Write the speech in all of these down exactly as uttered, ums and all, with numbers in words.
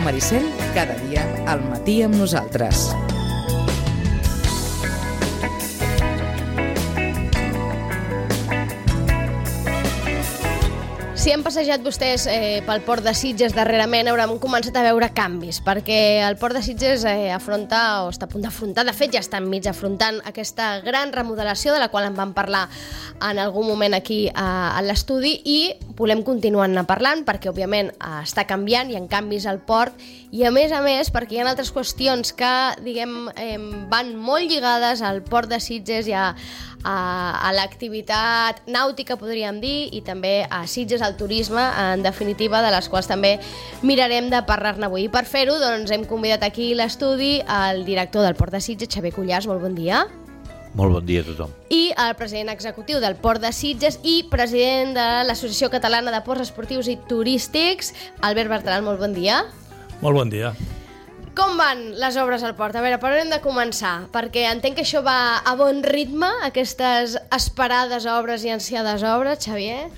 Ràdio Maricel, cada dia al matí amb nosaltres. Si han passejat vostès eh, pel Port de Sitges darrerament, hauran començat a veure canvis, perquè el Port de Sitges eh, afronta, o està a punt d'afrontar, de fet ja està enmig afrontant aquesta gran remodelació de la qual en vam parlar en algun moment aquí a, a l'estudi, i volem continuar-ne parlant perquè, òbviament, eh, està canviant, hi ha canvis al port, i a més a més perquè hi ha altres qüestions que, diguem, eh, van molt lligades al Port de Sitges i a, a, a l'activitat nàutica, podríem dir, i també a Sitges, al turisme, en definitiva, de les quals també mirarem de parlar-ne avui. I per fer-ho, doncs, hem convidat aquí a l'estudi el director del Port de Sitges, Xavier Cuyàs. Molt bon dia. Molt bon dia a tothom. I el president executiu del Port de Sitges i president de l'Associació Catalana de Ports Esportius i Turístics, Albert Bertran. Molt bon dia. Molt bon dia. Com van les obres al port? A veure, per on hem de començar? Perquè entenc que això va a bon ritme, aquestes esperades obres i ansiades obres, Xavier?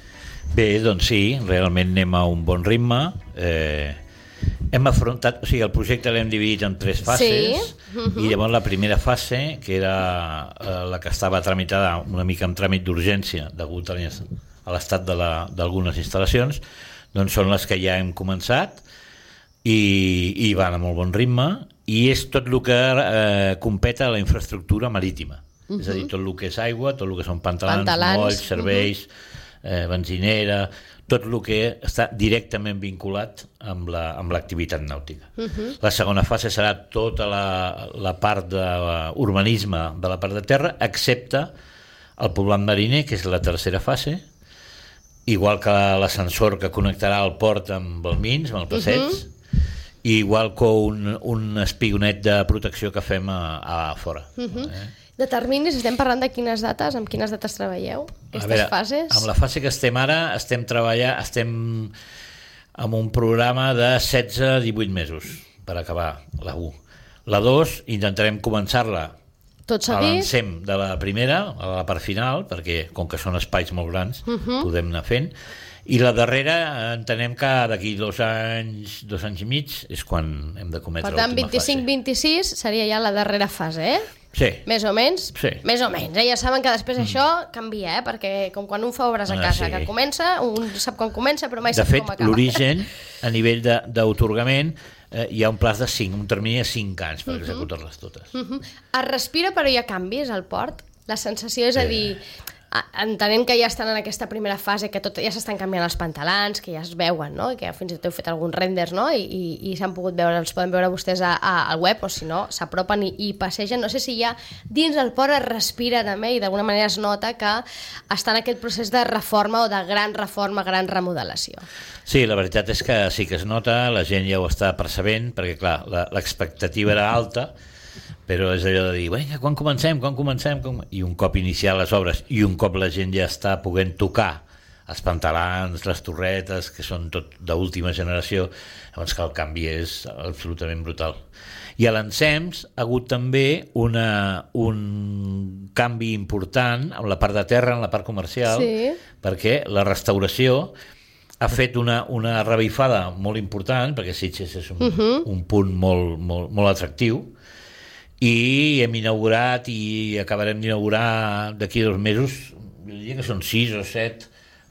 Bé, doncs sí, realment anem a un bon ritme. Eh, hem afrontat, o sigui, el projecte l'hem dividit en tres fases, sí. uh-huh. I llavors la primera fase, que era eh, la que estava tramitada una mica amb tràmit d'urgència degut a l'estat de la, d'algunes instal·lacions, doncs són les que ja hem començat i, i van a molt bon ritme, i és tot el que eh, competa a la infraestructura marítima. Uh-huh. És a dir, tot el que és aigua, tot el que són pantalans, pantalans. molls, serveis... Uh-huh. Eh, benzinera, tot el que està directament vinculat amb la, amb l'activitat nàutica. Uh-huh. La segona fase serà tota la, la part d'urbanisme de la part de terra, excepte el poblat mariner, que és la tercera fase, igual que l'ascensor que connectarà el port amb el Mins, amb el passeig, uh-huh. i igual que un, un espionet de protecció que fem a, a fora. Uh-huh. Eh? De terminis, estem parlant de quines dates? Amb quines dates treballeu? Aquestes veure, fases? Amb la fase que estem ara, estem treballant, estem amb un programa de setze a divuit mesos per acabar la u. La dos intentarem començar-la tot a l'encem de la primera, a la part final, perquè com que són espais molt grans, uh-huh. podem anar fent. I la darrera entenem que d'aquí dos anys, dos anys i mig és quan hem de cometre l'última fase. Per tant, vint-i-cinc vint-i-sis seria ja la darrera fase, eh? Sí. Més o menys? Sí. Més o menys, eh? Ja saben que després mm. això canvia, eh? Perquè com quan un fa obres a casa, ah, sí. que comença, un sap com comença, però mai de sap fet, com acaba. De fet, l'origen, a nivell d'autorgament, eh, hi ha un plaç de cinc, un termini de cinc anys per uh-huh. executar-les totes. Uh-huh. Es respira, però hi ha canvis al port? La sensació és a dir... Entenem que ja estan en aquesta primera fase, que tot, ja s'estan canviant els pantalans, que ja es veuen, no? I que fins i tot heu fet alguns renders, no? I, i, i s'han pogut veure, els poden veure vostès a, a, al web, o si no, s'apropen i, i passegen. No sé si ja dins del port es respira també i d'alguna manera es nota que està en aquest procés de reforma o de gran reforma, gran remodelació. Sí, la veritat és que sí que es nota, la gent ja ho està percebent, perquè clar, l'expectativa era alta, però és allò de dir, vinga, quan comencem, quan comencem? Com... I un cop iniciar les obres i un cop la gent ja està podent tocar els pantalans, les torretes, que són tot d'última generació, llavors que el canvi és absolutament brutal. I a l'Ensems ha hagut també una, un canvi important amb la part de terra, en la part comercial, sí. perquè la restauració ha fet una, una revifada molt important, perquè Sitges és un, uh-huh. un punt molt, molt, molt atractiu, i hem inaugurat i acabarem d'inaugurar d'aquí a dos mesos, jo diria que són sis o set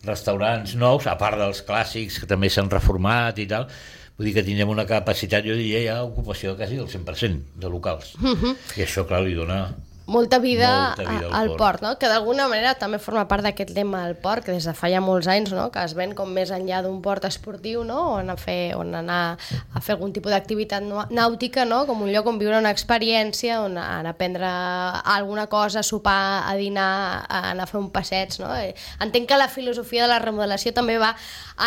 restaurants nous, a part dels clàssics que també s'han reformat i tal. Vull dir que tindrem una capacitat, jo diria, ja ocupació quasi del cent per cent de locals. Uh-huh. I això, clar, li dona... Molta vida, molta vida al, al port, port, no? Que d'alguna manera també forma part d'aquest lema al port, que des de fa ja molts anys, no? Que es ven com més enllà d'un port esportiu, no? On, a fer, on anar a fer algun tipus d'activitat nàutica, no? Com un lloc on viure una experiència, on anar a aprendre alguna cosa, a sopar, a dinar, a anar a fer un passeig, no? Entenc que la filosofia de la remodelació també va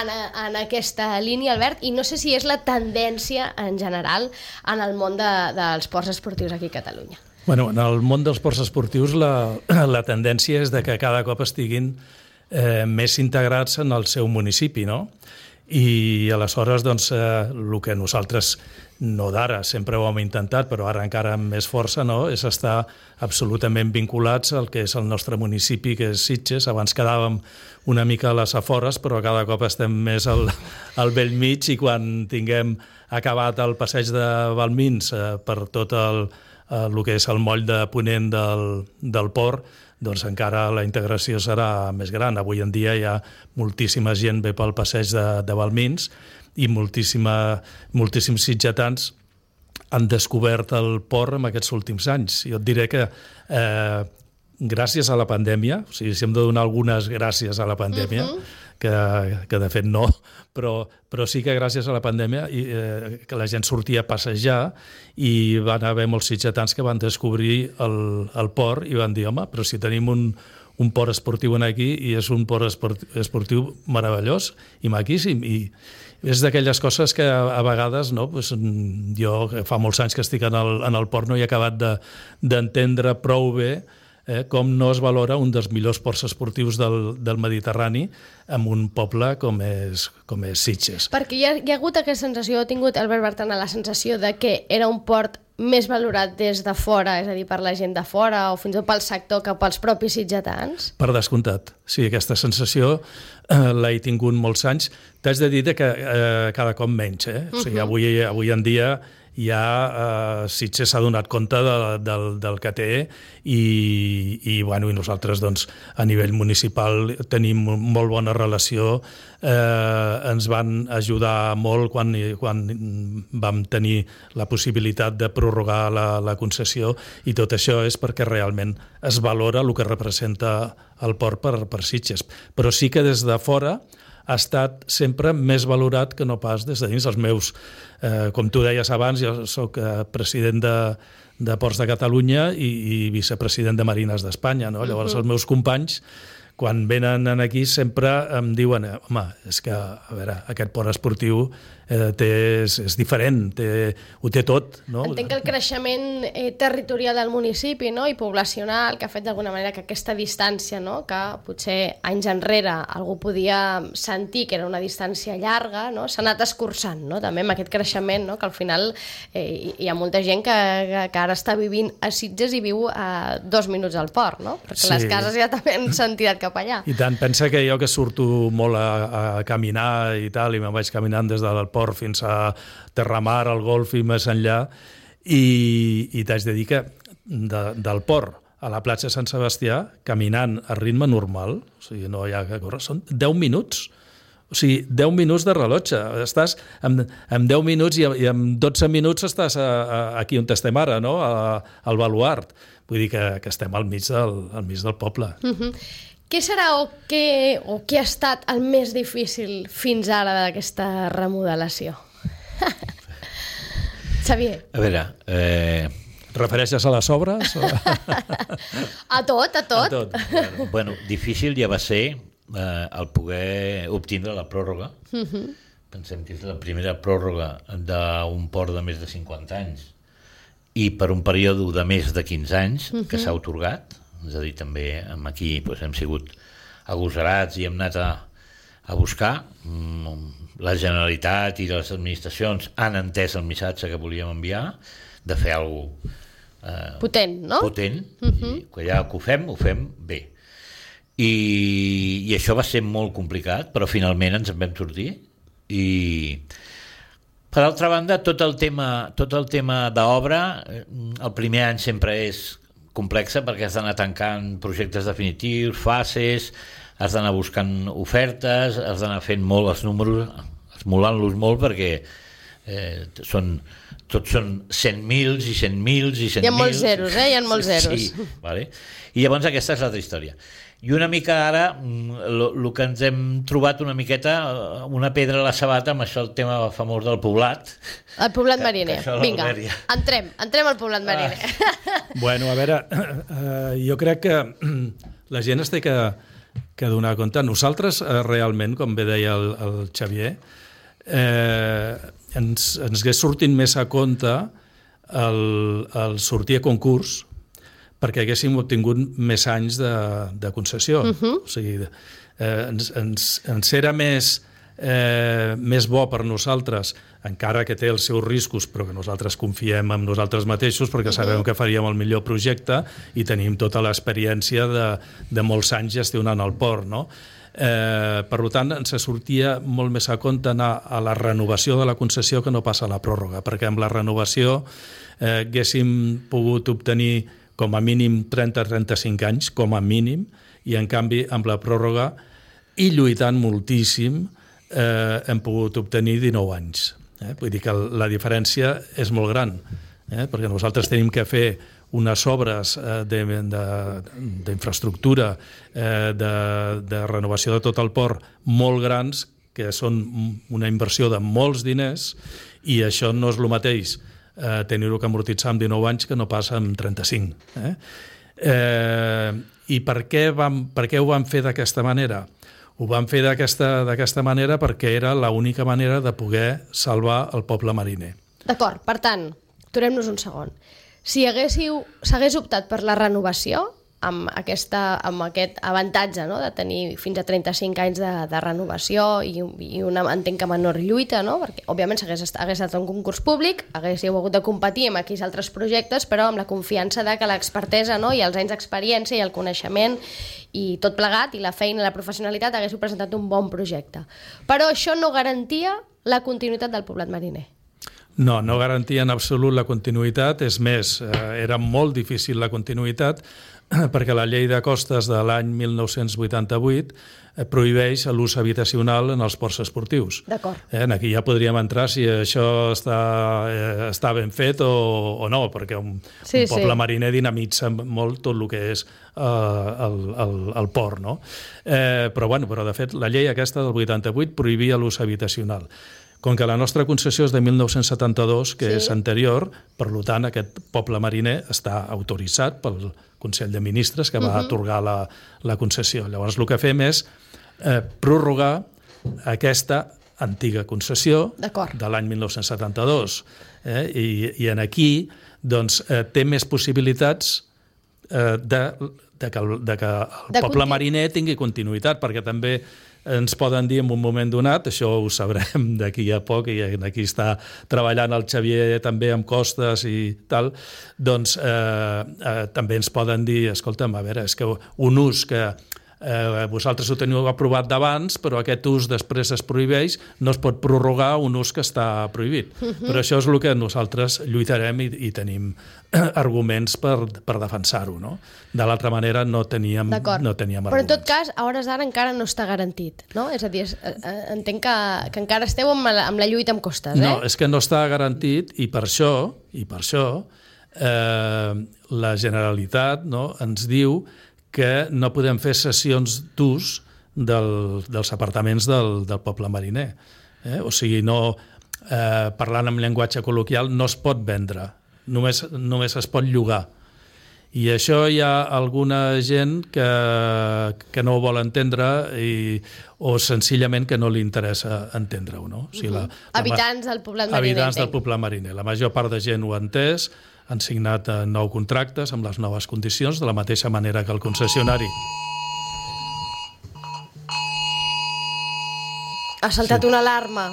en, en aquesta línia, Albert, i no sé si és la tendència en general en el món de, dels ports esportius aquí a Catalunya. Bueno, en el món dels ports esportius la, la tendència és de que cada cop estiguin eh, més integrats en el seu municipi, no? I aleshores, doncs, eh, el que nosaltres no d'ara, sempre ho hem intentat, però ara encara amb més força, no?, és estar absolutament vinculats al que és el nostre municipi, que és Sitges. Abans quedàvem una mica a les afores, però cada cop estem més al, al vell mig, i quan tinguem acabat el passeig de Balmins eh, per tot el, eh, el que és el moll de ponent del, del port, doncs encara la integració serà més gran. Avui en dia hi ha moltíssima gent ve pel passeig de, de Balmins i moltíssima, moltíssims sitgetans han descobert el port en aquests últims anys. Jo et diré que eh, gràcies a la pandèmia, o sigui, si hem de donar algunes gràcies a la pandèmia, uh-huh. que, que de fet no, però, però sí que gràcies a la pandèmia i, eh, que la gent sortia a passejar i van haver molts sitgetans que van descobrir el, el port i van dir, home, però si tenim un, un port esportiu aquí i és un port esportiu meravellós i maquíssim, i és d'aquelles coses que a, a vegades, no, pues, jo fa molts anys que estic en el, en el port no he acabat de, d'entendre prou bé eh, com no es valora un dels millors ports esportius del, del Mediterrani en un poble com és, com és Sitges. Perquè hi ha, hi ha hagut aquesta sensació, ha tingut Albert Bertran la sensació de que era un port més valorat des de fora, és a dir, per la gent de fora o fins i tot pel sector que pels propis sitgetans? Per descomptat. Sí, aquesta sensació eh, l'he tingut molts anys. T'haig de dir que eh, cada cop menys. Eh? O sigui, avui, avui en dia ja eh, Sitges s'ha donat compte de, del, del que té i, i, bueno, i nosaltres doncs, a nivell municipal tenim molt bona relació. Eh, ens van ajudar molt quan, quan vam tenir la possibilitat de prorrogar la, la concessió i tot això és perquè realment es valora el que representa el port per, per Sitges. Però sí que des de fora ha estat sempre més valorat que no pas des de dins. Els meus, eh, com tu deies abans, jo soc eh, president de, de Ports de Catalunya i, i vicepresident de Marines d'Espanya, no? Llavors uh-huh. els meus companys, quan venen aquí, sempre em diuen, home, és que, a veure, aquest port esportiu eh, té, és, és diferent, té, ho té tot, no? Entenc que el creixement eh, territorial del municipi, no?, i poblacional, que ha fet d'alguna manera que aquesta distància, no?, que potser anys enrere algú podia sentir que era una distància llarga, no?, s'ha anat escurçant, no?, també amb aquest creixement, no?, que al final eh, hi ha molta gent que, que, que ara està vivint a Sitges i viu a dos minuts al port, no?, perquè sí. Les cases ja també han sentit cap allà. I tant, pensa que jo que surto molt a, a caminar i tal, i me'n vaig caminant des del port fins a Terramar, al Golf i més enllà, i, i t'haig de dir que de, del port a la platja Sant Sebastià, caminant a ritme normal, o sigui, no hi ha que córrer, són deu minuts. O sigui, deu minuts de rellotge. Estàs en, en deu minuts i, i en dotze minuts estàs a, a, aquí on estem ara, no?, a, al baluart. Vull dir que, que estem al mig del, al mig del poble. Uh-huh. Què serà o què, o què ha estat el més difícil fins ara d'aquesta remodelació? Xavier. A veure... Eh... Refereixes a les obres? O... a tot, a tot. A tot. Bueno, bueno, difícil ja va ser eh, el poder obtindre la pròrroga. Uh-huh. Pensem que és la primera pròrroga d'un port de més de cinquanta anys i per un període de més de quinze anys uh-huh. que s'ha atorgat. És a dir, també aquí doncs, hem sigut agosarats i hem anat a, a buscar. La Generalitat i les administracions han entès el missatge que volíem enviar de fer alguna cosa eh, potent, no? Potent, uh-huh. i que ja que ho fem, ho fem bé. I, i això va ser molt complicat, però finalment ens en vam sortir. I per altra banda, tot el tema, tot el tema d'obra, el primer any sempre és complexa perquè has d'anar tancant projectes definitius, fases, has d'anar buscant ofertes, has d'anar fent molt els números, esmolant-los molt perquè eh, són, tots són cent mils i cent mils i cent mil. Hi ha molts zeros, eh? Hi ha molts zeros. Sí, vale. I llavors aquesta és l'altra història. I una mica ara, el que ens hem trobat una miqueta, una pedra a la sabata amb això, el tema famós del poblat. El poblat mariner. Vinga, entrem, entrem al poblat mariner. Ah. Bueno, a veure, eh, jo crec que la gent es té que, que donar compte. Nosaltres, eh, realment, com bé deia el, el Xavier, eh, ens, ens hagués sortit més a compte el, el sortir a concurs perquè haguéssim obtingut més anys de, de concessió. Uh-huh. O sigui, eh, ens, ens, ens era més, eh, més bo per nosaltres, encara que té els seus riscos, però que nosaltres confiem en nosaltres mateixos perquè sabem uh-huh. que faríem el millor projecte i tenim tota l'experiència de, de molts anys gestionant el port, no? Eh, per tant, ens sortia molt més a compte anar a la renovació de la concessió que no passa a la pròrroga, perquè amb la renovació eh, haguéssim pogut obtenir com a mínim trenta a trenta-cinc anys, com a mínim, i en canvi amb la pròrroga, i lluitant moltíssim, eh, hem pogut obtenir dinou anys. Eh? Vull dir que la diferència és molt gran, eh? perquè nosaltres tenim que fer unes obres eh, d'infraestructura, eh, de, de renovació de tot el port molt grans, que són una inversió de molts diners, i això no és el mateix eh, tenir-ho que amortitzar en dinou anys que no passa en trenta-cinc. Eh? Eh, I per què, vam, per què ho vam fer d'aquesta manera? Ho vam fer d'aquesta d'aquesta manera perquè era l'única manera de poder salvar el poble mariner. D'acord, per tant, aturem-nos un segon. Si haguéssiu, s'hagués optat per la renovació, amb, aquesta, amb aquest avantatge, no?, de tenir fins a trenta-cinc anys de, de renovació i, i una, entenc que menor lluita, no?, perquè òbviament hagués estat, hagués estat un concurs públic, haguéssiu hagut de competir amb aquells altres projectes, però amb la confiança de que l'expertesa, no?, i els anys d'experiència i el coneixement i tot plegat, i la feina i la professionalitat, haguéssiu presentat un bon projecte. Però això no garantia la continuïtat del poblat mariner. No, no garantia en absolut la continuïtat, és més, eh, era molt difícil la continuïtat, perquè la llei de costes de l'any mil nou-cents vuitanta-vuit eh, prohibeix l'ús habitacional en els ports esportius. D'acord. Eh, aquí ja podríem entrar si això està, eh, està ben fet o, o no, perquè un, sí, un poble sí. mariner dinamitza molt tot el que és eh, el, el, el port, no? Eh, però, bueno, però, de fet, la llei aquesta del vuitanta-vuit prohibia l'ús habitacional. Com que la nostra concessió és de mil nou-cents setanta-dos, que sí. és anterior, per tant, aquest poble mariner està autoritzat pel Consell de Ministres que va uh-huh. atorgar la, la concessió. Llavors, el que fem és eh, prorrogar aquesta antiga concessió de l'any mil nou-cents setanta-dos. Eh? I, I en aquí doncs, eh, té més possibilitats eh, de, de que el, de que el de poble continu... mariner tingui continuïtat, perquè també ens poden dir en un moment donat, això ho sabrem d'aquí a poc, i aquí està treballant el Xavier també amb costes i tal, doncs eh, eh, també ens poden dir, escolta'm, a veure, és que un ús que eh, vosaltres ho teniu aprovat d'abans, però aquest ús després es prohibeix, no es pot prorrogar un ús que està prohibit. Uh-huh. Però això és el que nosaltres lluitarem i, i tenim arguments per, per defensar-ho, no? De l'altra manera no teníem, no teníem arguments. Però en tot cas, a hores d'ara encara no està garantit, no? És a dir, entenc que, que encara esteu amb la, amb la lluita amb costes, eh? No, és que no està garantit, i per això, i per això eh, la Generalitat, no, ens diu que no podem fer sessions d'ús del, dels apartaments del, del poble mariner. Eh? O sigui, no, eh, parlant en llenguatge col·loquial, no es pot vendre, només, només es pot llogar. I això hi ha alguna gent que, que no ho vol entendre i, o senzillament que no li interessa entendre-ho. No? O sigui, la, la, habitants del poblat mariner. Habitants del poble mariner. La major part de gent ho ha entès, han signat nou contractes amb les noves condicions, de la mateixa manera que el concessionari. Ha saltat sí. una alarma.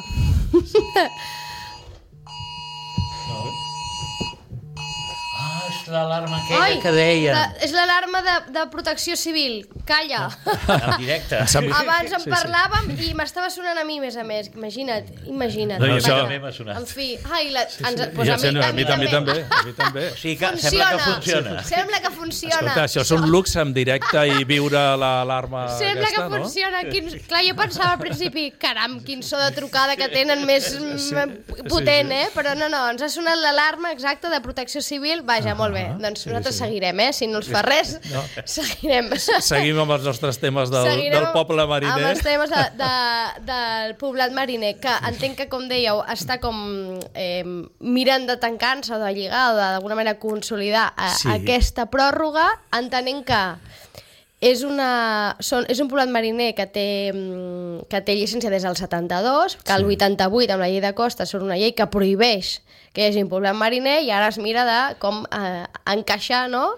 Ah, és l'alarma aquella Ai, que deien. La, és l'alarma de, de protecció civil. Calla. En directe. Abans en parlàvem sí, sí. i m'estava sonant a mi, més a més. Imagina't, imagina't. No, això també m'ha sonat. En fi, ai, la, sí, sí. Ens, pues ja, a, mi, a, a, mi, a mi també. A mi també. O sigui que funciona. Sembla que funciona. Sí, sembla que funciona. Escolta, això és un luxe en directe i viure l'alarma sembla aquesta, que funciona. No? Quin, clar, jo pensava al principi, caram, quin so de trucada que tenen més sí, potent, sí, sí. eh? Però no, no, ens ha sonat l'alarma exacta de protecció civil. Vaja, ah, molt bé. Doncs nosaltres sí, sí. seguirem, eh? Si no els fa res, no. seguirem. Seguim amb els nostres temes del, del poble mariner. Amb els temes de, de, del poblat mariner, que entenc que, com dèieu, està com eh, mirant de tancar-se o de lligar o d'alguna manera consolidar a, sí. aquesta pròrroga, entenent que és, una, són, és un poblat mariner que té, que té llicència des del setanta-dos, que el vuitanta-vuit, amb la llei de costes, són una llei que prohibeix que hi hagi un poblat mariner, i ara es mira de com eh, encaixar, no?,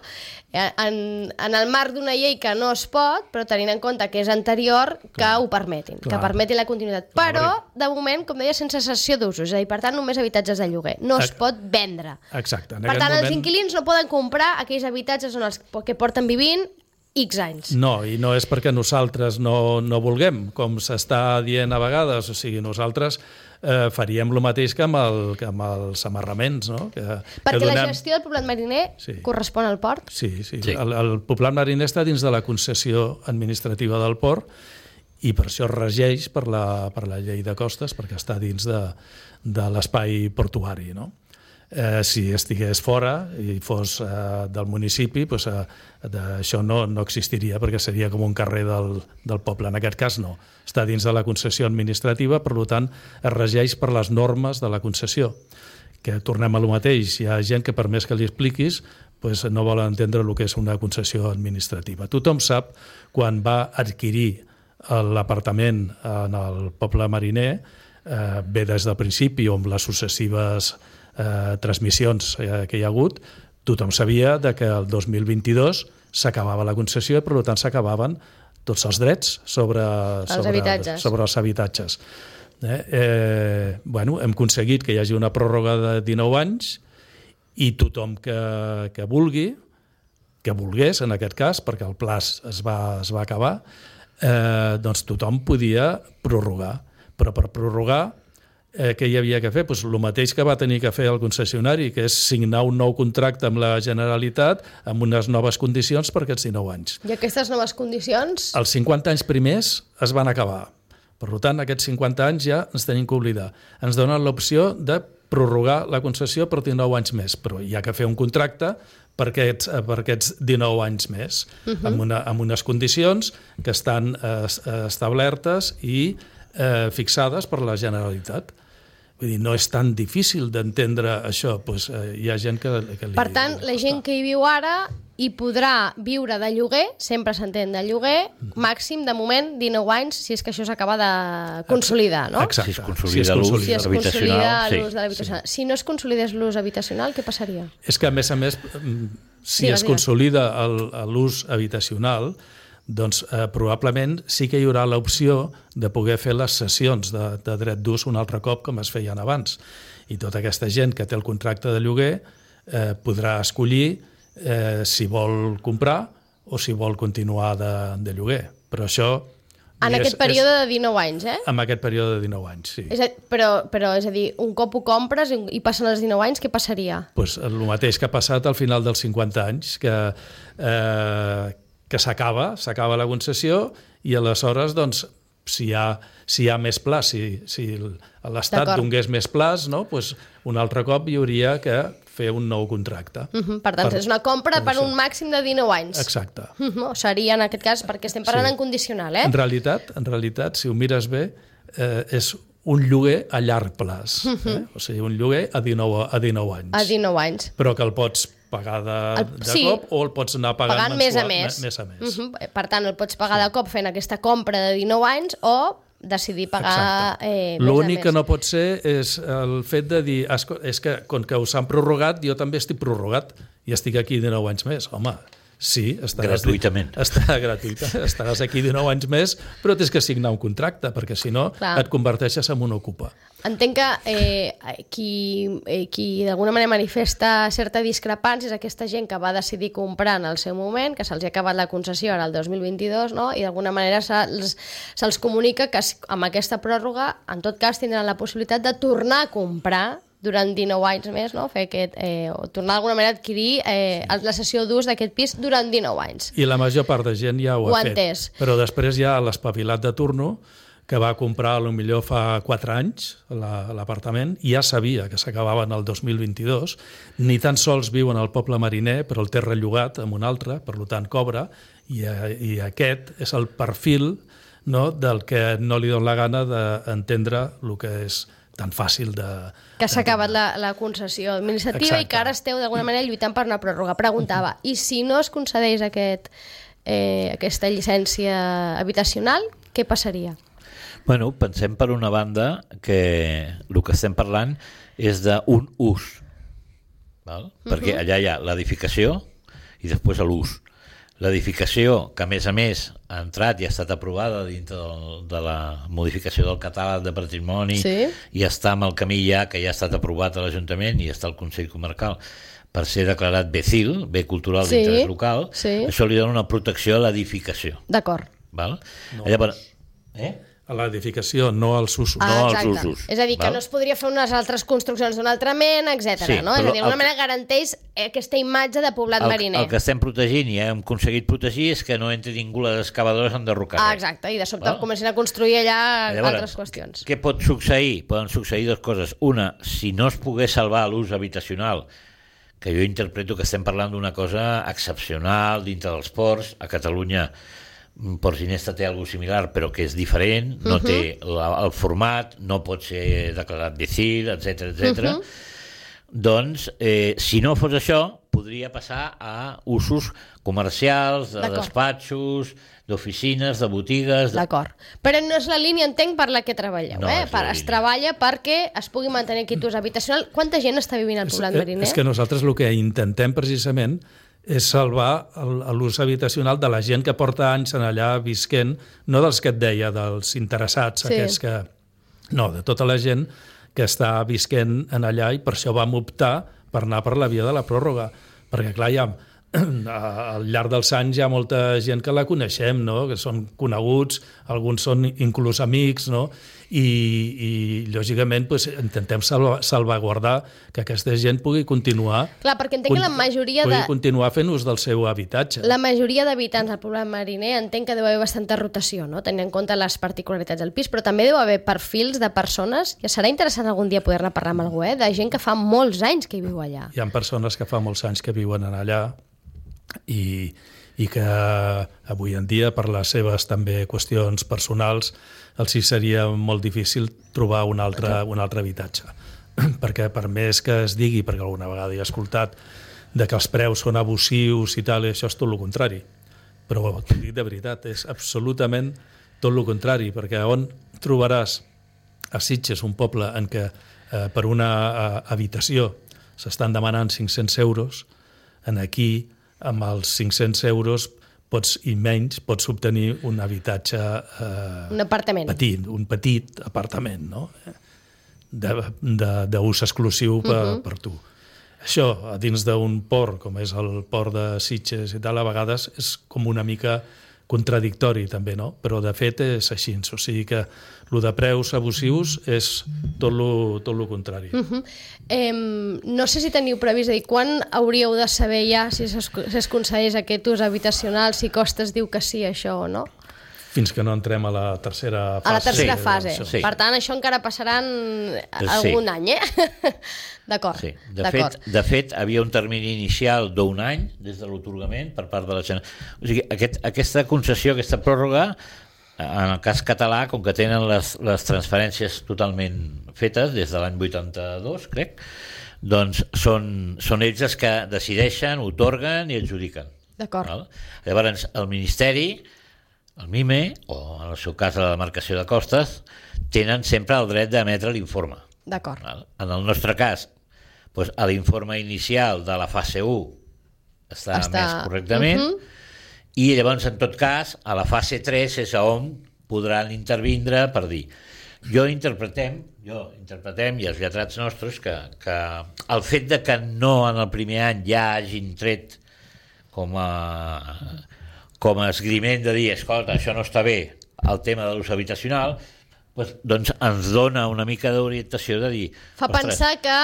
En, en el marc d'una llei que no es pot, però tenint en compte que és anterior, que clar, ho permetin, clar. que permetin la continuïtat. Clar, però, de moment, com deia, sense cessió d'usos, és a dir, per tant, només habitatges de lloguer. No es pot vendre. Exacte. Per tant, moment... els inquilins no poden comprar aquells habitatges on els, que porten vivint X anys. No, i no és perquè nosaltres no, no vulguem, com s'està dient a vegades, o sigui, nosaltres eh, faríem el mateix que amb, el, que amb els amarraments, no? Que, perquè que donem... la gestió del poblat mariner sí. correspon al port? Sí, sí. sí. El, el poblat mariner està dins de la concessió administrativa del port i per això es regeix per la, per la llei de costes, perquè està dins de, de l'espai portuari, no? Eh, si estigués fora i fos eh, del municipi, doncs, eh, això no, no existiria perquè seria com un carrer del, del poble. En aquest cas no. Està dins de la concessió administrativa, per tant, es regeix per les normes de la concessió. Que tornem a lo mateix. Hi ha gent que per més que li expliquis doncs, no vol entendre el que és una concessió administrativa. Tothom sap quan va adquirir l'apartament en el poble mariner, eh, bé des del principi o amb les successives Eh, transmissions eh, que hi ha hagut, tothom sabia de que el dos mil vint-i-dos s'acabava la concessió i per tant s'acabaven tots els drets sobre els, sobre, habitatges. sobre els habitatges. Eh, eh, bueno, hem aconseguit que hi hagi una pròrroga de dinou anys i tothom que, que vulgui, que volgués en aquest cas, perquè el pla es va, es va acabar, eh, doncs tothom podia prorrogar. Però per prorrogar Eh, què hi havia que fer? Pues el mateix que va tenir que fer el concessionari, que és signar un nou contracte amb la Generalitat amb unes noves condicions per aquests dinou anys. I aquestes noves condicions? Els cinquanta anys primers es van acabar. Per tant, aquests cinquanta anys ja ens tenim que oblidar. Ens donen l'opció de prorrogar la concessió per dinou anys més, però hi ha que fer un contracte per aquests, per aquests dinou anys més, uh-huh. amb, una, amb unes condicions que estan eh, establertes i eh, fixades per la Generalitat. Vull dir, no és tan difícil d'entendre això. Pues, eh, hi ha gent que... que li, per tant, la gent que hi viu ara hi podrà viure de lloguer, sempre s'entén de lloguer, màxim, de moment, dinou anys, si és que això s'acaba de consolidar, no? Exacte. Si es consolida l'ús si es habitacional. Consolida Sí. l'ús de l'habitacional. Si no es consolidés l'ús habitacional, què passaria? És que, a més a més, si Digues, es consolida l'ús habitacional, doncs eh, probablement sí que hi haurà l'opció de poder fer les cessions de, de dret d'ús un altre cop com es feien abans. I tota aquesta gent que té el contracte de lloguer eh, podrà escollir eh, si vol comprar o si vol continuar de, de lloguer. Però això... En és, aquest període és, de dinou anys, eh? En aquest període de dinou anys, sí. És a, però, però, és a dir, un cop ho compres i, i passen els dinou anys, què passaria? Pues el mateix que ha passat al final dels cinquanta anys, que... Eh, que s'acaba, s'acaba la concessió i aleshores, doncs, si hi ha, si hi ha més pla, si, si l'Estat donés més plans, no? Pues un altre cop hi hauria que fer un nou contracte. Uh-huh. Per tant, per, és una compra per, per un màxim de dinou anys. Exacte. Uh-huh. Seria, en aquest cas, perquè estem parlant sí. en condicional, eh? En realitat, en realitat, si ho mires bé, eh, és un lloguer a llarg plaç. Uh-huh. eh? O sigui, un lloguer a dinou, a dinou anys. A dinou anys. Però que el pots pagar de, el, de sí, cop o el pots anar pagant, pagant mensual, més a més. més, a més. Uh-huh. Per tant, el pots pagar sí. de cop fent aquesta compra de dinou anys o decidir pagar eh, més a més. L'únic que no pot ser és el fet de dir és que, com que us han prorrogat, jo també estic prorrogat i estic aquí dinou anys més. Home, sí, estaràs, gratuïtament. Estarà gratuïta, estaràs aquí dinou anys més, però tens que signar un contracte, perquè si no Clar. et converteixes en un ocupa. Entenc que eh, qui, eh, qui d'alguna manera manifesta certa discrepància és aquesta gent que va decidir comprar en el seu moment, que se'ls ha acabat la concessió ara el dos mil vint-i-dos, no? I d'alguna manera se'ls, se'ls comunica que amb aquesta pròrroga, en tot cas, tindran la possibilitat de tornar a comprar durant dinou anys més, no? Fer aquest, eh, o tornar d'alguna manera a adquirir eh, la cessió d'ús d'aquest pis durant dinou anys. I la major part de gent ja ho, ho ha fet. Entès. Però després hi ha l'espavilat de turno, que va comprar potser fa quatre anys l'apartament, i ja sabia que s'acabava en el dos mil vint-i-dos, ni tan sols viu en el poble mariner, però el té rellogat amb un altre, per tant cobra, i, i aquest és el perfil, no, del que no li dona la gana d'entendre el que és tan fàcil de... Que s'ha acabat la, la concessió administrativa. Exacte. I que ara esteu d'alguna manera lluitant per una pròrroga. Preguntava, i si no es concedeix aquest, eh, aquesta llicència habitacional, què passaria? Bueno, pensem per una banda que el que estem parlant és d'un ús, val? Uh-huh. Perquè allà hi ha l'edificació i després l'ús. L'edificació, que a més a més ha entrat i ha estat aprovada dintre del, de la modificació del catàleg de patrimoni, sí. I està amb el camí ja, que ja ha estat aprovat a l'Ajuntament i està al Consell Comarcal per ser declarat bé C I L, bé cultural Sí, d'interès local, sí. això li dona una protecció a l'edificació. D'acord. Val? No. Llavors, eh? A l'edificació, no als usos. Ah, No als exacte. usos, És a dir, que val? no es podria fer unes altres construccions d'una altra mena, etcètera. Sí, no? És però a dir, d'alguna el- manera garanteix aquesta imatge de poblat El, mariner. el que estem protegint i hem aconseguit protegir és que no entri ningú les excavadores a enderrocar Ah, res. exacte, i de sobte Val? comencen a construir allà Llavors, altres qüestions. Què pot succeir? Poden succeir dues coses. Una, si no es pogués salvar l'ús habitacional, que jo interpreto que estem parlant d'una cosa excepcional dintre dels ports, a Catalunya Port Ginesta té alguna similar, però que és diferent, no uh -huh. té la, el format, no pot ser declarat B C I L, etcètera, etcètera. Uh -huh. Doncs, eh, si no fos això, podria passar a usos comercials, de despatxos, d'oficines, de botigues... De... D'acord. Però no és la línia, entenc, per la que treballeu, No eh? és la Per, es línia. treballa perquè es pugui mantenir aquest ús habitacional. Quanta gent està vivint al poblat És, mariner? és que nosaltres el que intentem precisament és salvar el- l'ús habitacional de la gent que porta anys en allà visquent, no dels que et deia, dels interessats, Sí. sí. aquests que... No, de tota la gent que està visquent en allà i per això vam optar per anar per la via de la pròrroga. Perquè, clar, ja, al llarg dels anys hi ha molta gent que la coneixem, no? Que són coneguts, alguns són inclús amics, no? I, i lògicament, pues, intentem salva, salvaguardar que aquesta gent pugui continuar Clar, perquè entenc que la majoria pugui de... continuar fent ús del seu habitatge. La majoria d'habitants del poblat mariner entenc que deu haver bastanta rotació, no? Tenint en compte les particularitats del pis, però també deu haver perfils de persones, i serà interessant algun dia poder-ne parlar amb algú, eh? De gent que fa molts anys que hi viu allà. Hi ha persones que fa molts anys que viuen en allà i, i que avui en dia, per les seves també qüestions personals, els hi seria molt difícil trobar un altre, un altre habitatge. Perquè per més que es digui, perquè alguna vegada he escoltat, de que els preus són abusius i tal, i això és tot el contrari. Però t'ho dic de veritat, és absolutament tot el contrari, perquè on trobaràs a Sitges, un poble en què eh, per una eh, habitació s'estan demanant cinc-cents euros, en aquí, amb els cinc-cents euros pots, i menys, pots obtenir un habitatge eh, Un apartament. petit, un petit apartament, no? d'ús exclusiu per, uh -huh. per tu. Això, a dins d'un port, com és el port de Sitges i tal, a vegades és com una mica contradictori també, no? Però de fet és així, o sigui que el de preus abusius és tot lo, tot lo contrari. Uh -huh. eh, no sé si teniu previst, és a dir, quan hauríeu de saber ja si es, si es concedeix aquest ús habitacional, si Costes diu que sí, això o no? Fins que no entrem a la tercera fase. A la tercera Sí, fase. això. Sí. Per tant, això encara passaran Sí. algun any, eh? D'acord. Sí. De, d'acord. fet, de fet, havia un termini inicial d'un any des de l'atorgament per part de la Generalitat. O sigui, aquest, aquesta concessió, aquesta pròrroga, en el cas català, com que tenen les, les transferències totalment fetes des de l'any vuitanta-dos, crec, doncs són, són ells els que decideixen, otorguen i adjudiquen. D'acord. Val? Llavors, el Ministeri, el MIME, o en el seu cas la demarcació de Costes, tenen sempre el dret d'emetre l'informe. D'acord. Val? En el nostre cas, doncs, l'informe inicial de la fase u està, Està- emès correctament, Mhm. i llavors, en tot cas, a la fase tres és on podran intervindre per dir. Jo interpretem, jo interpretem, i els lletrats nostres, que, que el fet de que no en el primer any ja hagin tret com a, com a esgriment de dir, escolta, això no està bé, el tema de l'ús habitacional, doncs, doncs ens dona una mica d'orientació de dir... Fa ostres, pensar que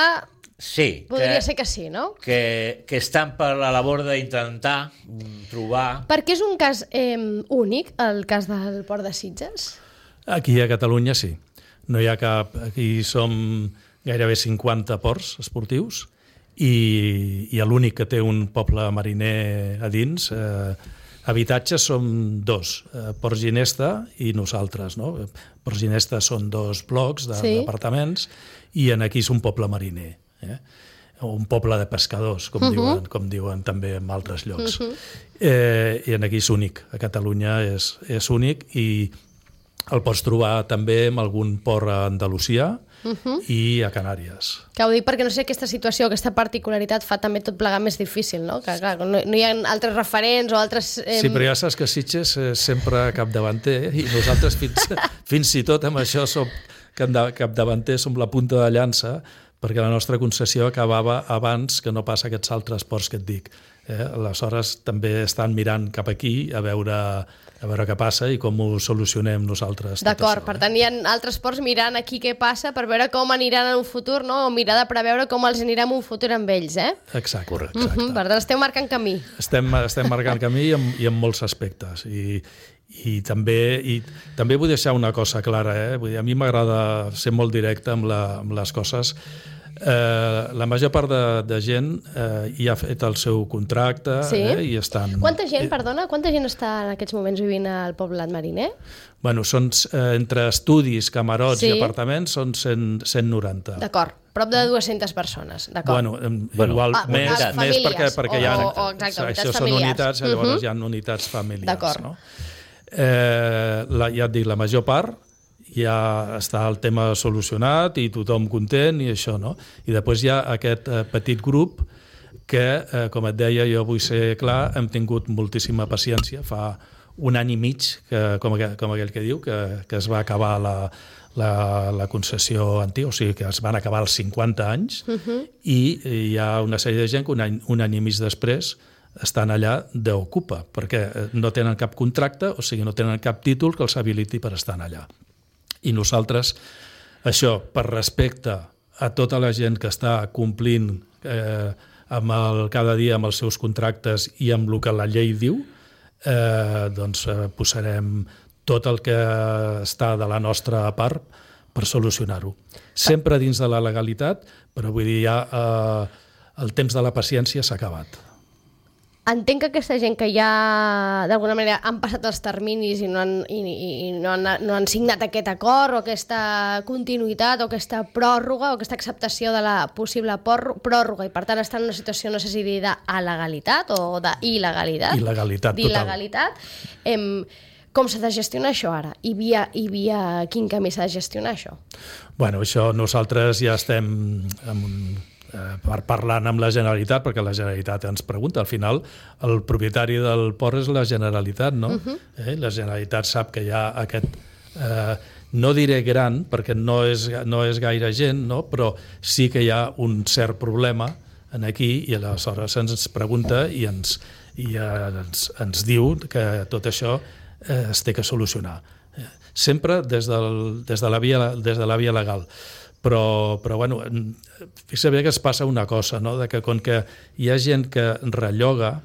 sí, podria que, ser que sí, no? que, que estan per la labor d'intentar mm, trobar... Perquè és un cas eh, únic, el cas del Port de Sitges? Aquí a Catalunya sí. No hi ha cap... Aquí som gairebé cinquanta ports esportius i, i l'únic que té un poble mariner a dins... Eh, habitatges som dos, eh, Port Ginesta i nosaltres, no? Port Ginesta són dos blocs de- Sí. d'apartaments i en aquí és un poble mariner, eh? Un poble de pescadors, com, uh-huh. diuen, com diuen també en altres llocs. Uh-huh. eh, I en aquí és únic, a Catalunya és, és únic i el pots trobar també en algun port a Andalusia uh-huh. i a Canàries. Que ho dic perquè no sé, aquesta situació, aquesta particularitat fa també tot plegar més difícil, no? Que clar, no, no hi ha altres referents o altres... Eh... Sí, però ja saps que Sitges és sempre capdavanter eh? I nosaltres fins, fins i tot amb això som capdavanter, som la punta de llança perquè la nostra concessió acabava abans que no passa aquests altres ports que et dic. Eh? Aleshores també estan mirant cap aquí a veure, a veure què passa i com ho solucionem nosaltres. D'acord, això, per eh? tant hi ha altres ports mirant aquí què passa per veure com aniran en un futur, no? O mirar de preveure com els anirà en un futur amb ells, eh? Exacte. Correcte. Mm -hmm, per tant, esteu marcant camí. Estem, estem marcant camí i en, i en molts aspectes. I, i, també, i també vull deixar una cosa clara. Eh? Vull dir, a mi m'agrada ser molt directe amb, la, amb les coses. Eh, la major part de, de gent eh, ja ha fet el seu contracte, sí? eh, i estan... Quanta gent, perdona, quanta gent està en aquests moments vivint al Poblat Mariner? Bueno, són, eh, entre estudis, camarots sí? i apartaments són cent, cent noranta. D'acord, prop de dues-centes persones, d'acord. Bueno, em, Bueno, igual ah, més, unitats, més perquè, famílies, perquè o, hi ha... o, o, exacte, unitats això familiars. són unitats, llavors uh -huh. hi ha unitats familiars. D'acord. No? Eh, la, ja et dic, la major part ja està el tema solucionat i tothom content i això, no? I després hi ha aquest eh, petit grup que, eh, com et deia, jo vull ser clar, hem tingut moltíssima paciència. Fa un any i mig, que, com, aquell, com aquell que diu, que, que es va acabar la, la, la concessió antiga, o sigui que es van acabar els cinquanta anys, uh -huh. i hi ha una sèrie de gent que un any, un any i mig després estan allà d'ocupa, perquè no tenen cap contracte, o sigui, no tenen cap títol que els habiliti per estar allà. I nosaltres, això, per respecte a tota la gent que està complint eh, amb el, cada dia amb els seus contractes i amb el que la llei diu, eh, doncs eh, posarem tot el que està de la nostra part per solucionar-ho. Sempre dins de la legalitat, però vull dir, ja eh, el temps de la paciència s'ha acabat. Entenc que aquesta gent que ja d'alguna manera han passat els terminis i no han, i, i no han, no han signat aquest acord o aquesta continuïtat o aquesta pròrroga o aquesta acceptació de la possible pròrroga i per tant estan en una situació, no sé si dir d'alegalitat o d'il·legalitat. Il·legalitat, total. d'il·legalitat. Em, com s'ha de gestionar això ara? I via, i via quin camí s'ha de gestionar això? Bueno, això nosaltres ja estem en un per parlant amb la Generalitat, perquè la Generalitat ens pregunta. Al final, el propietari del port és la Generalitat, no? Uh-huh. eh? La Generalitat sap que hi ha aquest... Eh, no diré gran, perquè no és, no és gaire gent, no? Però sí que hi ha un cert problema en aquí i aleshores ens pregunta i ens, i ens, ens diu que tot això eh, es té que solucionar. Eh, sempre des, del, des, de la via, des de la via legal. Però, però bueno, fixa bé que es passa una cosa, no? De que com que hi ha gent que relloga,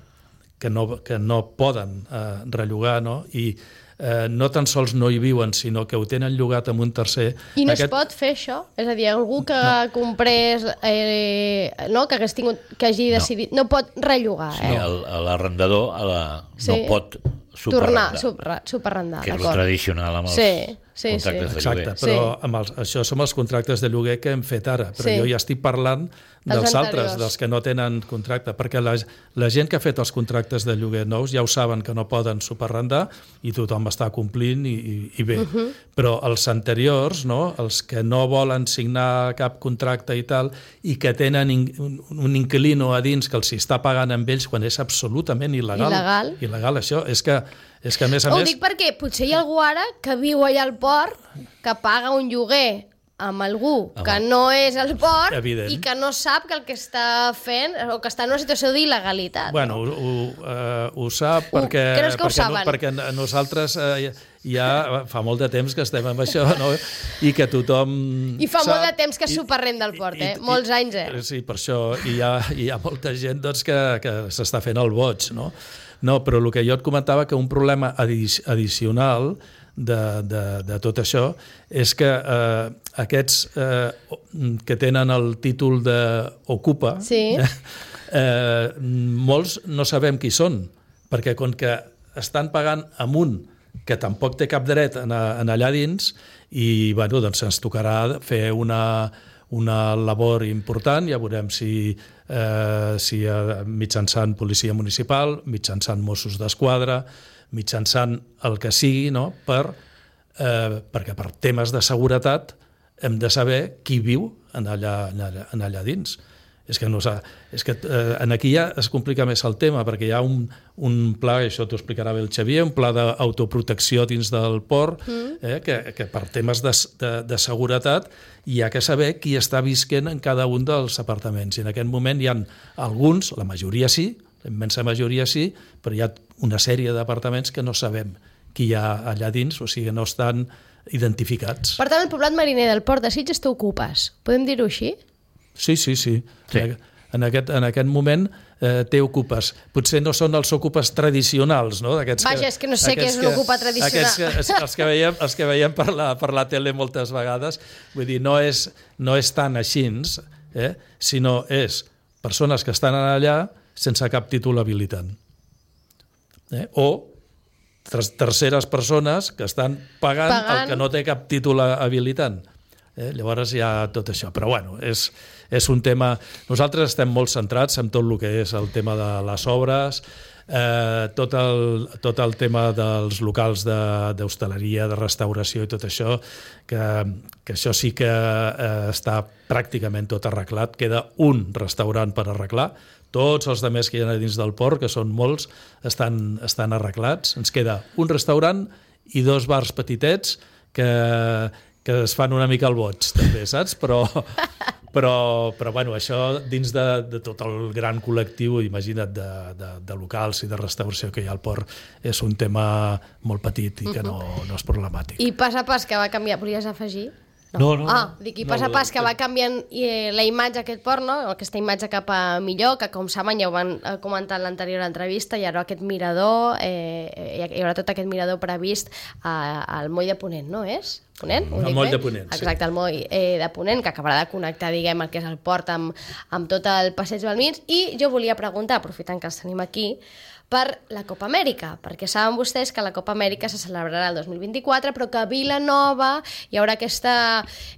que no, que no poden eh, rellogar, no? I eh, no tan sols no hi viuen, sinó que ho tenen llogat amb un tercer... I no aquest... es pot fer això? És a dir, algú que no. comprés, eh, no? que, hagués tingut, que hagi decidit... No, no pot rellogar, eh? Sí, l'arrendador la... sí. no pot superrendar. Tornar, superrendar, que és el tradicional amb els sí, sí, contractes sí. de lloguer. Exacte, però sí. amb els, això són els contractes de lloguer que hem fet ara, però sí. jo ja estic parlant dels, dels altres, dels que no tenen contracte, perquè la, la gent que ha fet els contractes de lloguer nous ja ho saben que no poden superrendar i tothom està complint i, i, i bé. Uh -huh. Però els anteriors, no? Els que no volen signar cap contracte i tal, i que tenen in, un, un inquilino a dins que els està pagant amb ells quan és absolutament il·legal. Il·legal. Il·legal, això. És que, és que a més a Ho més... dic perquè potser hi ha algú ara que viu allà al port, que paga un lloguer amb algú que Home. no és el port Evident. i que no sap que el que està fent o que està en una situació d'il·legalitat. Bueno, ho, ho, uh, ho sap perquè, creus que ho perquè, saben? no, perquè nosaltres uh, ja fa molt de temps que estem amb això, no? I que tothom I fa sap, molt de temps que es superrenda el port, eh? I, i, Molts anys, eh? Sí, per això. I hi ha, hi ha molta gent doncs, que, que s'està fent el boig, no? No, però el que jo et comentava, que un problema addicional de, de, de tot això és que eh, aquests eh, que tenen el títol d'ocupa, sí. eh, molts no sabem qui són, perquè com que estan pagant amb un que tampoc té cap dret en, en allà dins, i bueno, doncs ens tocarà fer una, una labor important, ja veurem si, eh, si eh, mitjançant policia municipal, mitjançant Mossos d'Esquadra, mitjançant el que sigui, no? per, eh, perquè per temes de seguretat hem de saber qui viu en allà, en allà, en allà dins. És que, no és que eh, aquí ja es complica més el tema, perquè hi ha un, un pla, això t'ho explicarà bé el Xavier, un pla d'autoprotecció dins del port, mm. eh, que, que per temes de, de, de seguretat hi ha que saber qui està visquent en cada un dels apartaments. I en aquest moment hi ha alguns, la majoria sí, la immensa majoria sí, però hi ha una sèrie d'apartaments que no sabem qui hi ha allà dins, o sigui, no estan identificats. Per tant, el poblat mariner del Port de Sitges t'ocupes, podem dir-ho així? Sí, sí, sí. sí. En, aquest, en aquest moment eh, té ocupes. Potser no són els ocupes tradicionals, no? Vaja, que, és que no sé què és un ocupa tradicional. Aquests que, els que veiem, els que veiem per, la, per la tele moltes vegades, vull dir, no és, no és tan així, eh? Sinó és persones que estan allà sense cap títol habilitant. Eh? O terceres persones que estan pagant, pagant el que no té cap títol habilitant. Eh? Llavors hi ha tot això, però bueno, és, és un tema... Nosaltres estem molt centrats en tot el que és el tema de les obres, eh, tot, el, tot el tema dels locals d'hostaleria, de, de restauració i tot això, que, que això sí que eh, està pràcticament tot arreglat. Queda un restaurant per arreglar, tots els altres que hi ha dins del port, que són molts, estan, estan arreglats. Ens queda un restaurant i dos bars petitets que... que es fan una mica al boig, també, saps? Però, però, però bueno, això dins de, de tot el gran col·lectiu, imagina't, de, de, de locals i de restauració que hi ha al port, és un tema molt petit i que no, no és problemàtic. I pas a pas que va canviar, volies afegir? No, no. Ah, dic, i pas a pas que va canviant eh, la imatge d'aquest port, no? Aquesta imatge cap a millor, que com saben ja ho van comentar en l'anterior entrevista, hi haurà aquest mirador, eh, hi haurà tot aquest mirador previst eh, al moll de Ponent, no és? Ponent? El moll de Ponent, sí. Exacte, el moll eh, de Ponent, que acabarà de connectar, diguem, el que és el port amb, amb tot el passeig Balmins. I jo volia preguntar, aprofitant que els tenim aquí, per la Copa Amèrica, perquè saben vostès que la Copa Amèrica se celebrarà el dos mil vint-i-quatre, però que a Vilanova hi haurà aquesta,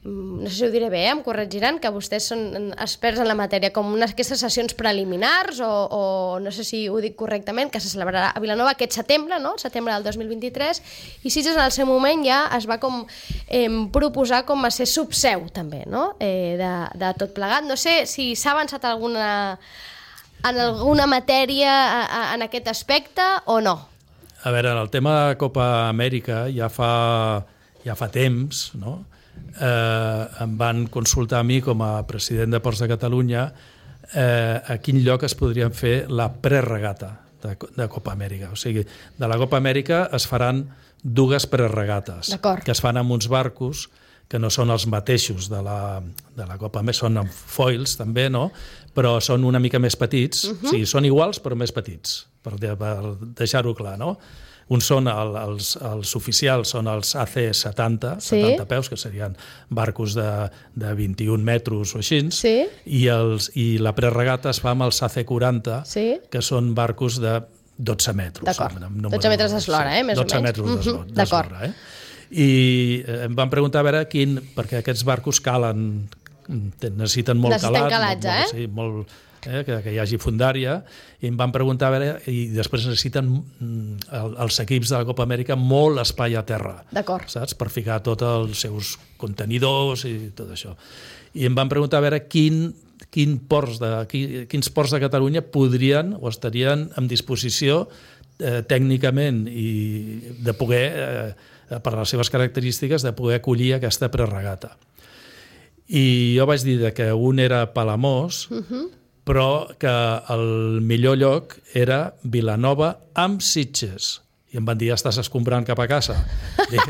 no sé si ho diré bé, eh? Em corregiran, que vostès són experts en la matèria, com unes aquestes sessions preliminars, o, o no sé si ho dic correctament, que se celebrarà a Vilanova aquest setembre, no? Setembre del dos mil vint-i-tres, i Sitges en el seu moment ja es va com eh, proposar com a ser subseu també, no? Eh, de, de tot plegat. No sé si s'ha avançat alguna... en alguna matèria en aquest aspecte o no? A veure, en el tema de Copa Amèrica ja fa, ja fa temps, no? eh, em van consultar a mi com a president de Ports de Catalunya eh, a quin lloc es podrien fer la preregata de, de Copa Amèrica. O sigui, de la Copa Amèrica es faran dues preregates que es fan amb uns barcos que no són els mateixos de la, de la Copa Amèrica, són amb foils també, no? Però són una mica més petits, uh -huh. o sigui, són iguals però més petits, per, per deixar-ho clar, no? Uns són, el, els, els oficials són els A C setanta, sí. setanta peus, que serien barcos de, de vint-i-un metres o així, sí. i, els, i la preregata es fa amb els A C quaranta, sí. que són barcos de dotze metres. D'acord, dotze metres d'eslora, eh? Més dotze o menys. metres d'eslora, uh -huh. eh? I em van preguntar a veure quin, perquè aquests barcos calen, necessiten molt necessiten calat, calatge, molt, eh? Sí, molt, eh, que, que hi hagi fundària, i em van preguntar a veure, i després necessiten el, els equips de la Copa Amèrica molt espai a terra, saps? Per ficar tots els seus contenidors i tot això. I em van preguntar a veure quin, quin ports de, quin, quins ports de Catalunya podrien o estarien en disposició eh, tècnicament i de poder... Eh, per les seves característiques, de poder acollir aquesta preregata. I jo vaig dir que un era Palamós, uh -huh. però que el millor lloc era Vilanova amb Sitges. I em van dir, ja estàs escombrant cap a casa. Dic,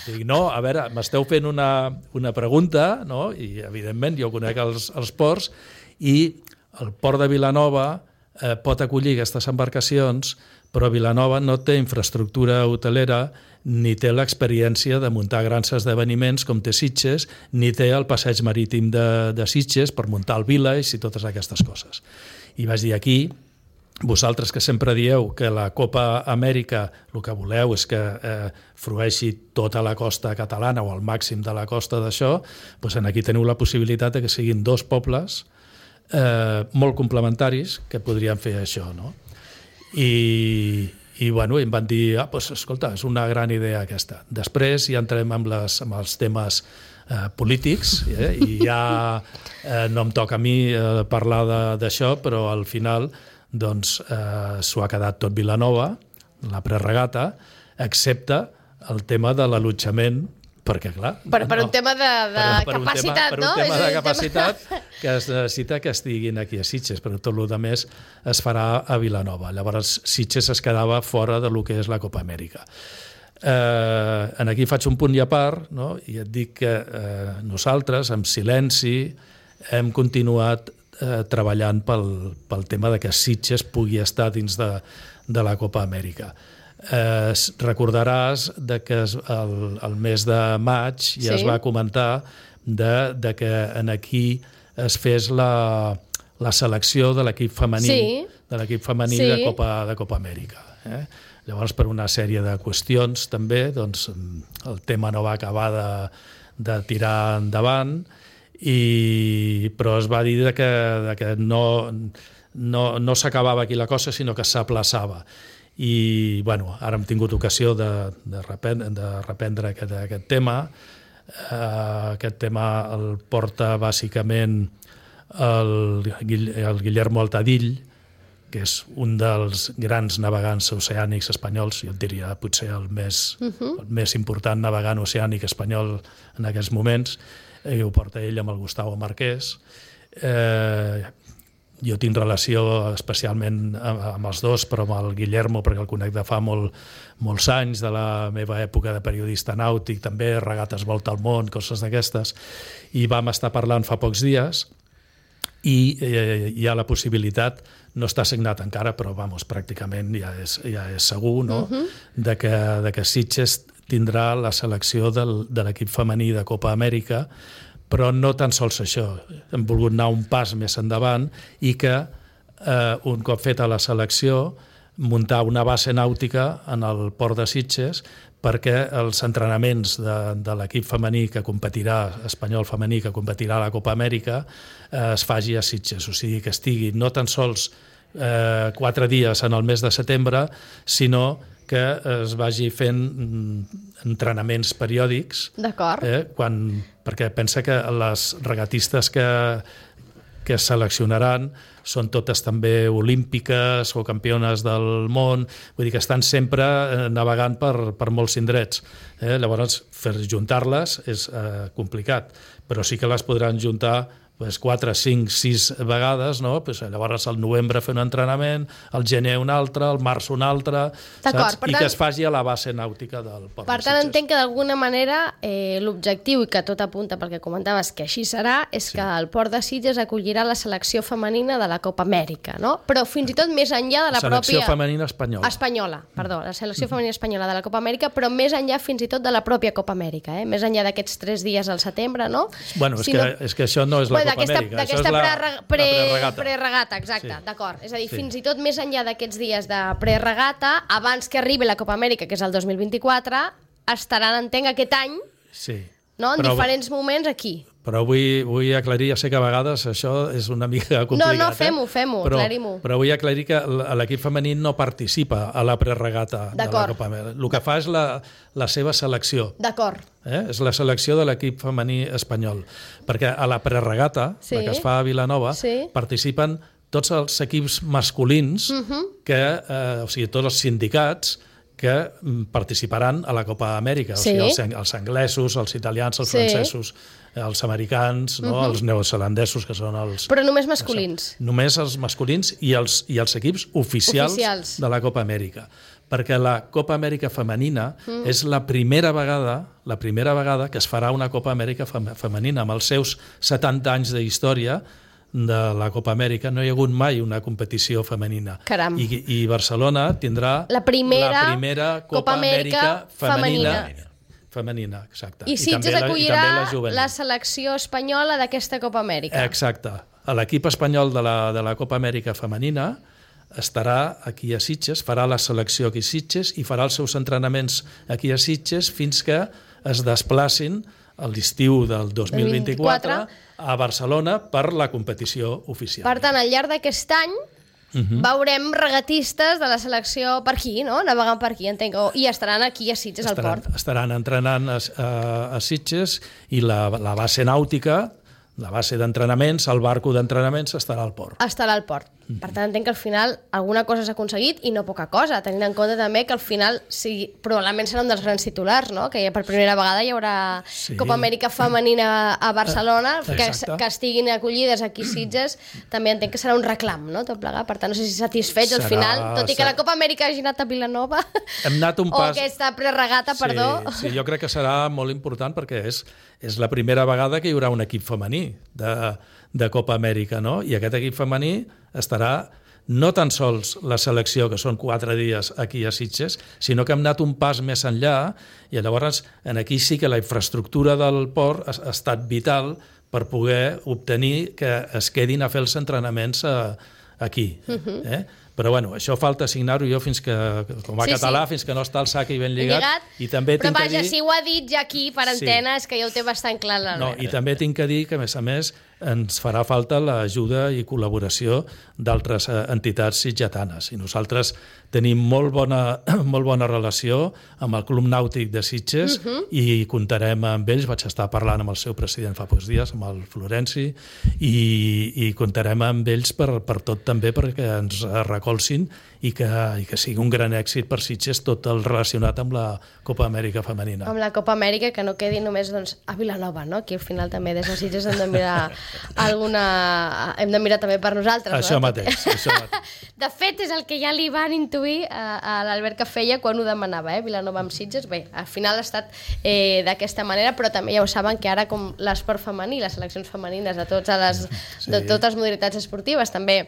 dic no, a veure, m'esteu fent una, una pregunta, no? I evidentment jo conec els, els ports, i el port de Vilanova eh, pot acollir aquestes embarcacions, però Vilanova no té infraestructura hotelera ni té l'experiència de muntar grans esdeveniments com té Sitges, ni té el passeig marítim de, de Sitges per muntar el Village i totes aquestes coses. I vaig dir aquí, vosaltres que sempre dieu que la Copa Amèrica el que voleu és que eh, frueixi tota la costa catalana o el màxim de la costa d'això, doncs aquí teniu la possibilitat de que siguin dos pobles eh, molt complementaris que podrien fer això, no? I... I bueno, em van dir, ah, doncs, escolta, és una gran idea aquesta. Després ja entrem amb, les, amb els temes eh, polítics, eh, i ja eh, no em toca a mi eh, parlar d'això, però al final doncs, eh, s'ho ha quedat tot Vilanova, la preregata, excepte el tema de l'allotjament, perquè clar... Per, per no, un tema de, de per, per capacitat, un tema, no? Per un tema de capacitat que es necessita que estiguin aquí a Sitges, però tot el més es farà a Vilanova. Llavors Sitges es quedava fora de lo que és la Copa Amèrica. Eh, en aquí faig un punt i a part, no? I et dic que eh, nosaltres, amb silenci, hem continuat eh, treballant pel, pel tema de que Sitges pugui estar dins de, de la Copa Amèrica. Eh, recordaràs de que es, el, el mes de maig ja sí. es va comentar de, de que en aquí es fes la, la selecció de l'equip femení, sí. de l'equip femení sí. de, Copa, de Copa Amèrica. Eh? Llavors, per una sèrie de qüestions també, doncs, el tema no va acabar de, de tirar endavant, i, però es va dir de que, de que no, no, no s'acabava aquí la cosa, sinó que s'aplaçava. I bueno, ara hem tingut ocasió de, de, reprendre, de reprendre aquest, aquest tema. Uh, aquest tema el porta bàsicament el, el Guillermo Altadill, que és un dels grans navegants oceànics espanyols, jo et diria potser el més, uh-huh. el més important navegant oceànic espanyol en aquests moments, i ho porta ell amb el Gustavo Marquès. Eh, Jo tinc relació especialment amb els dos, però amb el Guillermo, perquè el conec de fa molt, molts anys, de la meva època de periodista nàutic, també, regates volta al món, coses d'aquestes, i vam estar parlant fa pocs dies, i eh, hi ha la possibilitat, no està signat encara, però vamos, pràcticament ja és, ja és segur, no? Uh-huh. de, que, de que Sitges tindrà la selecció del, de l'equip femení de Copa Amèrica, però no tan sols això, hem volgut anar un pas més endavant i que eh, un cop feta la selecció muntar una base nàutica en el port de Sitges perquè els entrenaments de, de l'equip femení que competirà, espanyol femení que competirà a la Copa Amèrica eh, es faci a Sitges, o sigui que estigui no tan sols eh, quatre dies en el mes de setembre, sinó que es vagi fent entrenaments periòdics. D'acord. Eh, quan, perquè pensa que les regatistes que, que es seleccionaran són totes també olímpiques o campiones del món, vull dir que estan sempre navegant per, per molts indrets. Eh? Llavors, fer juntar-les és eh, complicat, però sí que les podran juntar pues, quatre, cinc, sis vegades, no? Pues, llavors al novembre fer un entrenament, al gener un altre, al març un altre, saps? I tant, que es faci a la base nàutica del port per de tant, Sitges. entenc que d'alguna manera eh, l'objectiu, i que tot apunta perquè comentaves que així serà, és sí. que el port de Sitges acollirà la selecció femenina de la Copa Amèrica, no? Però fins i tot més enllà de la, la selecció pròpia... femenina espanyola. Espanyola, perdó, la selecció femenina espanyola de la Copa Amèrica, però més enllà fins i tot de la pròpia Copa Amèrica, eh? Més enllà d'aquests tres dies al setembre, no? Bueno, és, si que, no... és que això no és la bueno, Copa Amèrica, això és la, pre, pre, preregata. Preregata, exacte, sí. D'acord. És a dir, sí. fins i tot més enllà d'aquests dies de preregata, abans que arribi la Copa Amèrica, que és el dos mil vint-i-quatre, estaran, entenc, aquest any, sí. no? En però, diferents moments aquí. Però vull, vull aclarir, ja sé que a vegades això és una mica complicat. No, no, fem-ho, fem-ho, aclarim-ho. Però vull aclarir que l'equip femení no participa a la preregata de la Copa Amèrica. El que fa és la, la seva selecció. D'acord. Eh? És la selecció de l'equip femení espanyol. Perquè a la preregata, sí. la que es fa a Vilanova, sí. participen tots els equips masculins, uh-huh. que, eh, o sigui, tots els sindicats que participaran a la Copa Amèrica, sí. o sigui, els, els anglesos, els italians, els sí. francesos, els americans, no? uh-huh. els neozelandesos, que són els... Però només masculins. Això, només els masculins i els, i els equips oficials, oficials de la Copa Amèrica. Perquè la Copa Amèrica femenina mm. és la primera vegada la primera vegada que es farà una Copa Amèrica femenina. Amb els seus setanta anys de història de la Copa Amèrica no hi ha hagut mai una competició femenina. Caram. I, i Barcelona tindrà la primera, la primera Copa, Copa Amèrica, Amèrica femenina. femenina. Femenina, exacte. I Sitges acollirà la, la selecció espanyola d'aquesta Copa Amèrica. Exacte. L'equip espanyol de la, de la Copa Amèrica femenina estarà aquí a Sitges, farà la selecció aquí a Sitges i farà els seus entrenaments aquí a Sitges fins que es desplacin a l'estiu del dos mil vint-i-quatre a Barcelona per la competició oficial. Per tant, al llarg d'aquest any uh-huh. veurem regatistes de la selecció per aquí, no? Navegant per aquí, entenc. I estaran aquí a Sitges, al port. Estaran entrenant a, a, a Sitges i la, la base nàutica, la base d'entrenaments, el barco d'entrenaments estarà al port. Estarà al port. Mm-hmm. Per tant, entenc que al final alguna cosa s'ha aconseguit i no poca cosa, tenint en compte també que al final sí, probablement serà un dels grans titulars, no? Que ja per primera vegada hi haurà sí. Copa Amèrica femenina a Barcelona, uh, que, que estiguin acollides aquí a Sitges, també entenc que serà un reclam, no? Tot plegat. Per tant, no sé si satisfets serà, al final, tot i que serà... la Copa Amèrica hagi anat a Vilanova, hem anat un pas... o aquesta preregata, sí, perdó. Sí, jo crec que serà molt important perquè és, és la primera vegada que hi haurà un equip femení de, de Copa Amèrica, no? I aquest equip femení estarà no tan sols la selecció, que són quatre dies aquí a Sitges, sinó que hem anat un pas més enllà i llavors en aquí sí que la infraestructura del port ha, ha estat vital per poder obtenir que es quedin a fer els entrenaments a, aquí. Uh-huh. eh? Però bueno, això falta signar-ho jo fins que, com a sí, català, sí. fins que no està el sac i ben lligat. lligat I també però vaja, dir... si ho ha dit ja aquí per antena sí. és que ja ho té bastant clar l'Albert. No, I també tinc que dir que, a més a més, ens farà falta l'ajuda i col·laboració d'altres entitats sitgetanes. I nosaltres tenim molt bona, molt bona relació amb el Club Nàutic de Sitges uh-huh. i comptarem amb ells. Vaig estar parlant amb el seu president fa pocs dies, amb el Florenci, i, i comptarem amb ells per, per tot també perquè ens recolzin i que, i que sigui un gran èxit per Sitges tot el relacionat amb la Copa Amèrica femenina. Amb la Copa Amèrica, que no quedi només doncs, a Vilanova, no? Aquí al final també des de Sitges hem de mirar alguna... hem de mirar també per nosaltres. Això no? mateix, això mateix. De fet, és el que ja li van intuir a, a l'Albert que feia quan ho demanava, eh? Vilanova amb Sitges. Bé, al final ha estat eh, d'aquesta manera, però també ja ho saben que ara com l'esport femení, les seleccions femenines de, totes les, sí. de totes les modalitats esportives també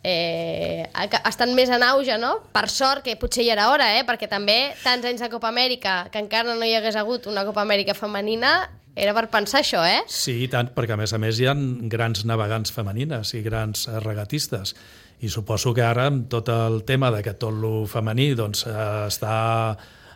Eh, estan més en auge, no? Per sort, que potser ja era hora, eh? Perquè també tants anys de Copa Amèrica que encara no hi hagués hagut una Copa Amèrica femenina, era per pensar això, eh? Sí, i tant, perquè a més a més hi ha grans navegants femenines i grans regatistes, i suposo que ara amb tot el tema de que tot lo femení doncs, està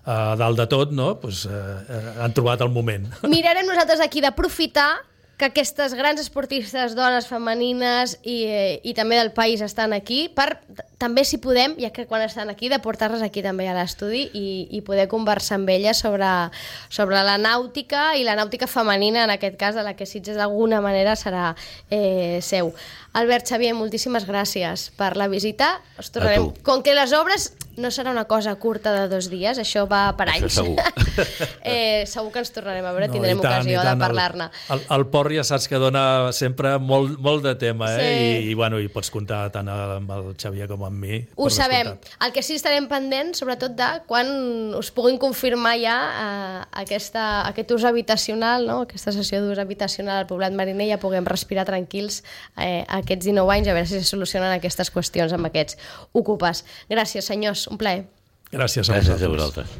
a dalt de tot, no? Pues, eh, han trobat el moment. Mirarem nosaltres aquí d'aprofitar que aquestes grans esportistes, dones femenines i, i també del país estan aquí, per també, si podem, ja que quan estan aquí, de portar-les aquí també a l'estudi i, i poder conversar amb elles sobre, sobre la nàutica i la nàutica femenina, en aquest cas, de la que Sitges d'alguna manera serà eh, seu. Albert, Xavier, moltíssimes gràcies per la visita. Us tornarem. Com que les obres no serà una cosa curta de dos dies, això va per anys. Això segur. eh, segur que ens tornarem a veure, no, tindrem tant, ocasió de parlar-ne. El, el, el port ja saps que dona sempre molt, molt de tema, eh? Sí. I, i, bueno, i pots comptar tant amb el Xavier com amb mi. Ho sabem. El que sí estarem pendents, sobretot de quan us puguin confirmar ja eh, aquesta, aquest ús habitacional, no? Aquesta sessió d'ús habitacional al Poblat Mariner, ja puguem respirar tranquils eh, aquests dinou anys, a veure si se solucionen aquestes qüestions amb aquests ocupes. Gràcies, senyors, un plaer. Gràcies a vosaltres. Gràcies a vosaltres.